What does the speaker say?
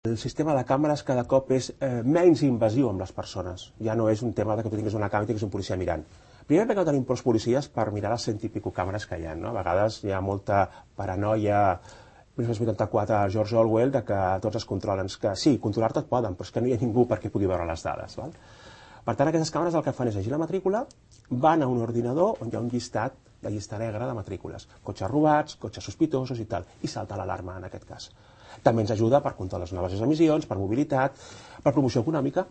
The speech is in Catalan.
El sistema de càmeres cada cop és menys invasiu amb les persones. Ja no és un tema que tu tinguis una càmera i tinguis un policia mirant. Primer perquè no tenim prou policies per mirar les 100 i pico càmeres que hi ha. A vegades hi ha molta paranoia, 1984, George Orwell, que tots es controlen. Que sí, controlar-te et poden, però és que no hi ha ningú perquè pugui veure les dades. Per tant, aquestes càmeres el que fan és llegir la matrícula, van a un ordinador on hi ha un llistat, la llista negra de matrícules, cotxes robats, cotxes sospitosos i tal, i salta l'alarma en aquest cas. També ens ajuda per controlar les noves emissions, per mobilitat, per promoció econòmica.